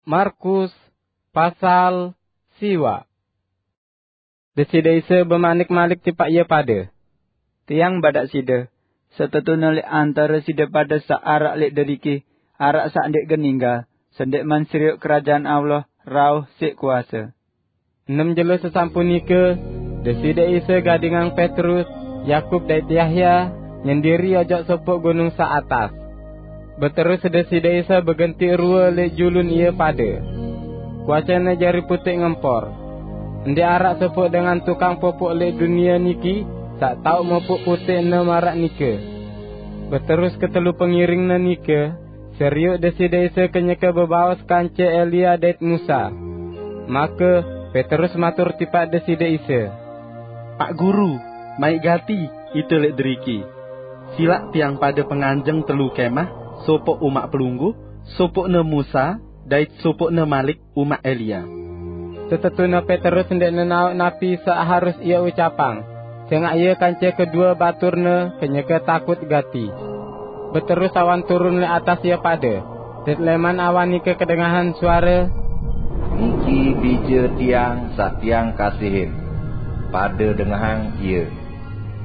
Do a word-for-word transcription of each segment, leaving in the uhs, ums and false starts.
Markus pasal siwa. Deside Isa bemanik malik tipaq ie pade, "Tiang badaq side, setetune leq antare side pade saq araq leq deriki, araq saq ndeq gen ninggal, sendikman serioq Kerajaan Allah rauh siq kuase." Enem jelo sesampun nike, Deside Isa gadingang Petrus, Yakub dait Yahya nyendiri ojok sopoq gunung saq atas. Beterus Deside Isa begentiq rue leq julun ie pade. Kuacene jari puteq ngempor. Ndeq araq sopoq dengan tukang popoq leq dunie niki saq tao mopoq puteqne maraq nike. Beterus ketelu pengiringne nike serioq Deside Isa kenyeke bebaos kance Elia dait Musa. Make Petrus matur tipaq Deside Isa, "Pak Guru, maiq gati ite leq deriki. Silaq tiang pade penganjeng telu kemah, sopoq umaq Pelungguh, sopoqne Musa, dait sopoqne malik umaq Elia." Setetune Petrus ndeq nenaoq napi saq harus ie ucapang, sengaq ie kance kedue baturne kenyeke takut gati. Beterus awan turun leq atas ie pade, dait leman awan nike kedengahan suare, "Niki Bije Tiang saq Tiang kasihin. Pade dengahang Ie."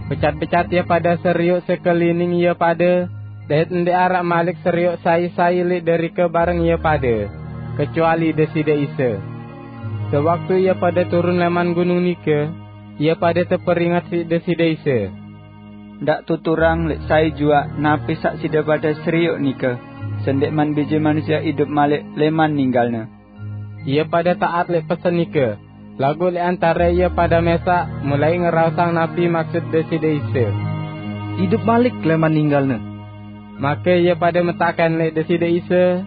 Becat-becat ie pade serioq sekelining ie pade, dait ndeq araq malik serioq sai-sai leq derike bareng ie pade, kecuali Deside Isa. Sewaktu ie pade turun leman gunung nike, ie pade teperinget siq Deside Isa, "Ndaq tuturang leq sai juaq napi saq side pade serioq nike, sendikman Bije Manusie idup malik leman ninggalne." Ie pade taat leq pesen nike, laguq leq antare ie pade mesaq mulai ngeraosang napi maksud Deside Isa, "Idup malik leman ninggalne." Make ie pade metaken leq Deside Isa,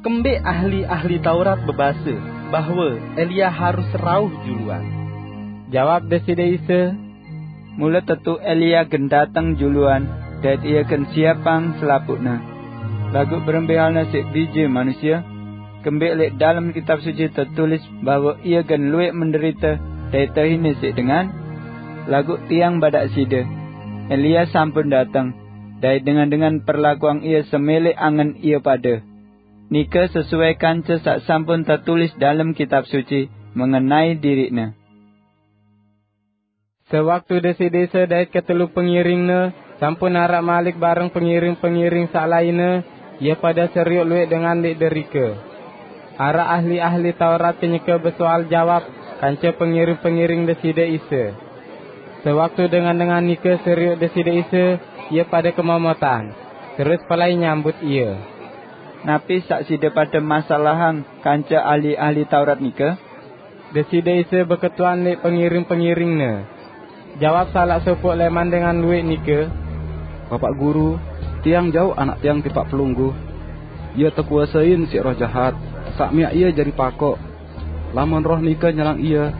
"Kembeq ahli-ahli Taurat bebase bahwe Elia harus rauh juluan?" Jawab Deside Isa, "Mule tetu Elia gen dateng juluan, dait ie gen siapang selapuqne. Laguq berembe halne siq Bije Manusie? Kembeq leq dalem Kitab Suci tetulis bahwe ie gen lueq menderite dait tehine siq dengan? Laguq tiang badaq side, Elia sampun dateng, dait dengan-dengan perlakuang ie semele angen ie pade. Nike sesuai kance saq sampun tetulis dalem Kitab Suci mengenai diriqne." Sewaktu Deside Isa dait ketelu pengiringne sampun araq malik bareng pengiring-pengiring saq lainne, ie pade serioq lueq dengan leq derike. Araq ahli-ahli Taurat kenyeke besoal jawab kance pengiring-pengiring Deside Isa. Sewaktu dengan-dengan nike serioq Deside Isa, ie pade kemomotan, terus pelai nyambut Ie. "Napi saq side pade masalahang kance ahli-ahli Taurat nike?" Deside Isa beketuan leq pengiring-pengiring-Ne. Jawab salaq sopoq leman dengan lueq nike, "Bapaq Guru, tiang jauq anak tiang tipaq Pelungguh. Ie tekuasein siq roh jahat, saq miaq ie jari pakoq. Lamun roh nike nyerang ie,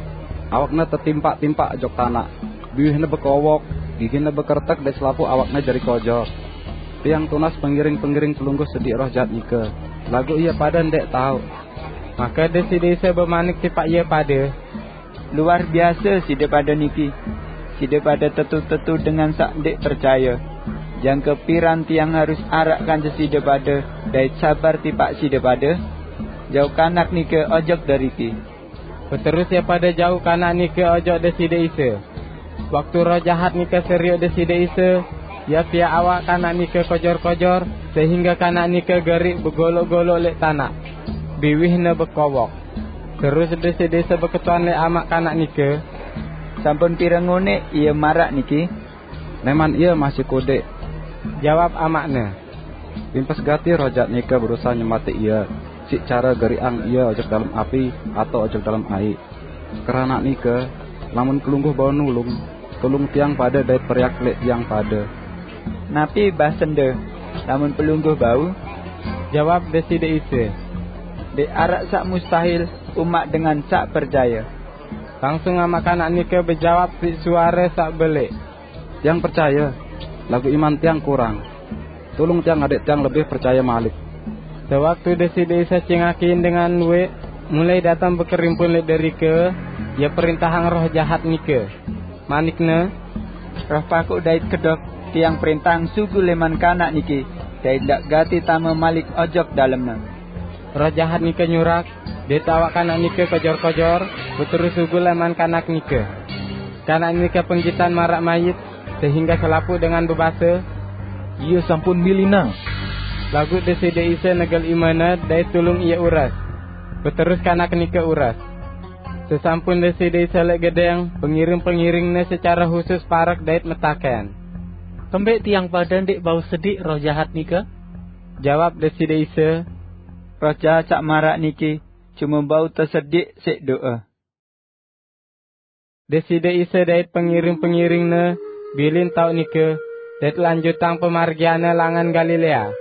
awakne tetimpak-timpak ojok tanaq, biwihne bekowok, gigine bekeretek dait selapuq awakne jari kojor. Tiang tunas pengiring-pengiring Pelungguh sediq roh jahat nike, laguq ie pade ndeq taoq." Make Deside Isa bemanik tipaq ie pade, "Luar biase side pade niki! Side pade tetu-tetu dengan saq ndeq percaye! Jangke piran tiang harus araq kance side pade dait sabar tipaq side pade? Jauq kanak nike ojok deriki!" Beterus ie pade jauq kanak nike ojok Deside Isa. Waktu roh jahat nike serioq Deside Isa, ie piaq awak kanak nike kojor-kojor, sehingge kanak nike geriq begoloq-goloq leq tanaq. Biwihne bekowok. Terus Deside Isa beketuan leq amaq kanak nike, "Sampun pire ngoneq ie maraq niki?" "Leman ie masih kodeq," jawab amaqne, "limpes gati roh jahat nike berusahe nyematiq ie siq care geriqang ie ojok dalem api atao ojok dalem aiq. Keranaq nike, lamun Pelungguh bau nulung, tulung tiang pade dait periak leq tiang pade." "Napi basende, 'Lamun Pelungguh bau'?" jawab Deside Isa. "Ndeq araq saq mustahil umaq dengan saq percaye." Langsung amaq kanak nike bejawab siq suare saq beleq, "Tiang percaye, laguq iman tiang kurang. Tulung tiang adek tiang lebih percaye malik." Sewaktu Deside Isa cingakin dengan lueq, mulai dateng bekerimpun leq derike, Ie perintahang roh jahat nike. Manik-Ne, "Roh pakoq dait kedok, tiang perintahang sugul leman kanak niki, dait ndaq gati tame malik ojok dalemne." Roh jahat nike nyurak, dait awak kanak nike kojor-kojor, beterus sugul leman kanak nike. Kanak nike penggitan maraq mayit, sehingge selapuq dengan bebase, "Ie sampun milinang." Laguq Deside Isa negel imene dait tulung ie ures. Beterus kanak nike ures. Sesampun Deside Isa leq gedeng, pengiring-pengiring-Ne secare husus parek dait metaken, "Kembeq tiang pade ndeq bau sediq roh jahat nike?" Jawab Deside Isa, "Roh jahat saq maraq niki cume bau tesediq siq do'e." Deside Isa dait pengiring-pengiring-Ne bilin taoq nike, dait lanjutang pemargian-Ne langan Galilea.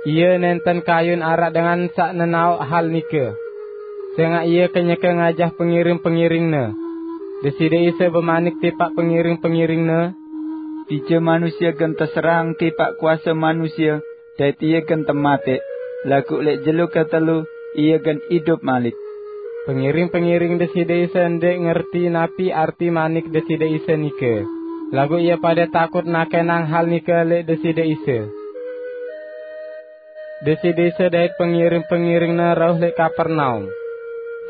Ie nenten kayun araq dengan saq nenaoq hal nike, sengaq Ie kenyeke ngajah pengiring-pengiring-Ne. Deside Isa bemanik tipaq pengiring-pengiring-Ne, "Bije Manusie gen teserahang tipaq kuase manusie, dait Ie gen temateq, laguq leq jelo ketelu Ie gen idup malik." Pengiring-pengiring Deside Isa ndeq ngerti napi arti manik Deside Isa nike, laguq ie pade takut nakenang hal nike leq Deside Isa. Deside Isa dait pengiring-pengiring-Ne rauh leq Kapernaum.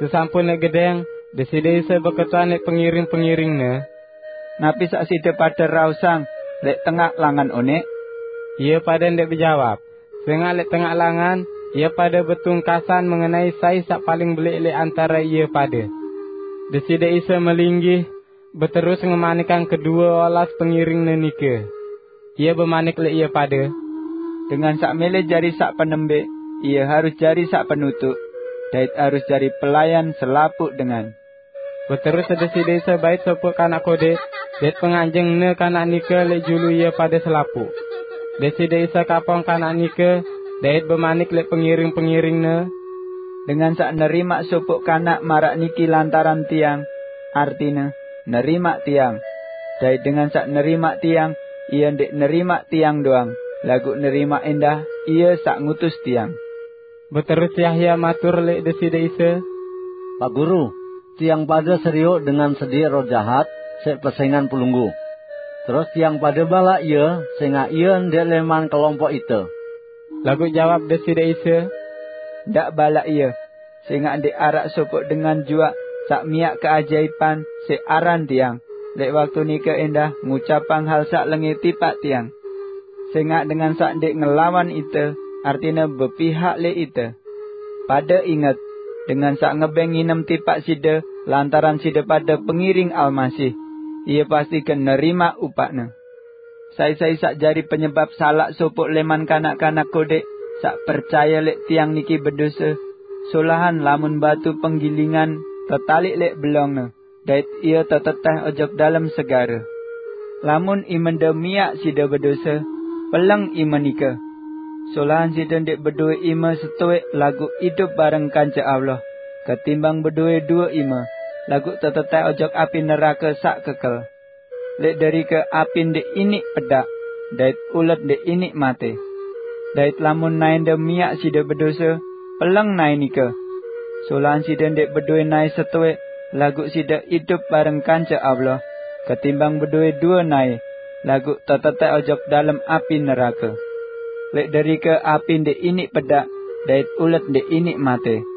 Sesampun leq gedeng, Deside Isa beketuan leq pengiring-pengiring-Ne, "Napi saq side pade raosang leq tengaq langan oneq?" Ie pade ndeq bejawab, sengaq leq tengaq langan ie pade betungkasan mengenai sai saq paling beleq leq antare ie pade. Deside Isa melinggih, beterus ngemanikang kedue olas pengiring-Ne nike. Ie bemanik leq ie pade, "Dengan saq mele jari saq penembeq, ie harus jari saq penutuq, dait harus jari pelayan selapuq dengan." Beterus Deside Isa bait sopoq kanak kodeq, dait penganjeng-Ne kanak nike leq julu ie pade selapuq. Deside Isa kapong kanak nike, dait bemanik leq pengiring-pengiring-Ne, "Dengan saq nerimaq sopoq kanak maraq niki lantaran Tiang, artine, nerimaq Tiang. Dait dengan saq nerimaq Tiang, ie ndeq nerimaq Tiang doang, laguq nerimaq endah Ie saq ngutus Tiang." Beterus Yahya matur leq Deside Isa, "Pak Guru, tiang pade serioq dengan sediq roh jahat siq pesengan pelungguh. Terus tiang pade balaq ie, sengaq ie ndeq leman kelompok ite." Laguq jawab Deside Isa, "Ndaq balaq ie, sengaq ndeq araq sopoq dengan juaq saq miaq keajaipan siq aran Tiang, leq waktu nike endah ngucapang hal saq lenge tipaq Tiang. Sengaq dengan saq ndeq ngelawan ite, artine bepihak leq ite. Pade inget, dengan saq ngebeng nginem tipaq side lantaran side pade pengiring Almasih, ie pasti gen nerimaq upaqne. Sai-sai saq jari penyebap salaq sopoq leman kanak-kanak kodeq saq percaye leq Tiang niki bedose, solahan lamun batu penggilingan tetaliq leq belongne, dait ie teteteh ojok dalem segare. Lamun imende miaq side bedose, peleng ime nike. Solahan side ndeq bedowe ime setoeq laguq idup bareng kance Allah, ketimbang bedowe due ime, laguq teteteh ojok api nerake saq kekel. Leq derike api ndeq iniq pedaq, dait ulet ndeq iniq mate. Dait lamun naende miaq side bedose, peleng nae nike. Solahan side ndeq bedowe nae setoeq, laguq side idup bareng kance Allah, ketimbang bedowe due nae, laguq teteteh ojok dalem api nerake. Leq derike api ndeq iniq pedaq, dait ulet ndeq iniq mate.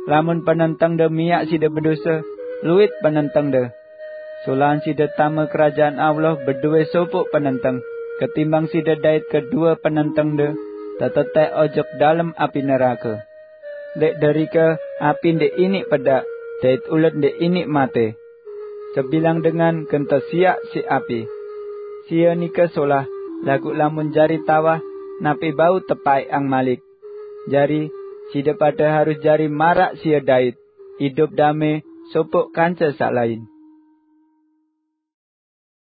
Lamun penentengde miaq side bedose, luit penentengde. Solahan side tame Kerajaan Allah bedowe sopoq penenteng, ketimbang side dait kedue penentengde teteteh ojok dalem api nerake. Leq derike api ndeq iniq pedaq, dait ulet ndeq iniq mate. Sebilang dengan gen tesiaq siq api. Sie nike solah, laguq lamun jari tawah, napi bau tepaeqang malik? Jari, side pade harus jari maraq sie dait, idup dame sopoq kance saq lain.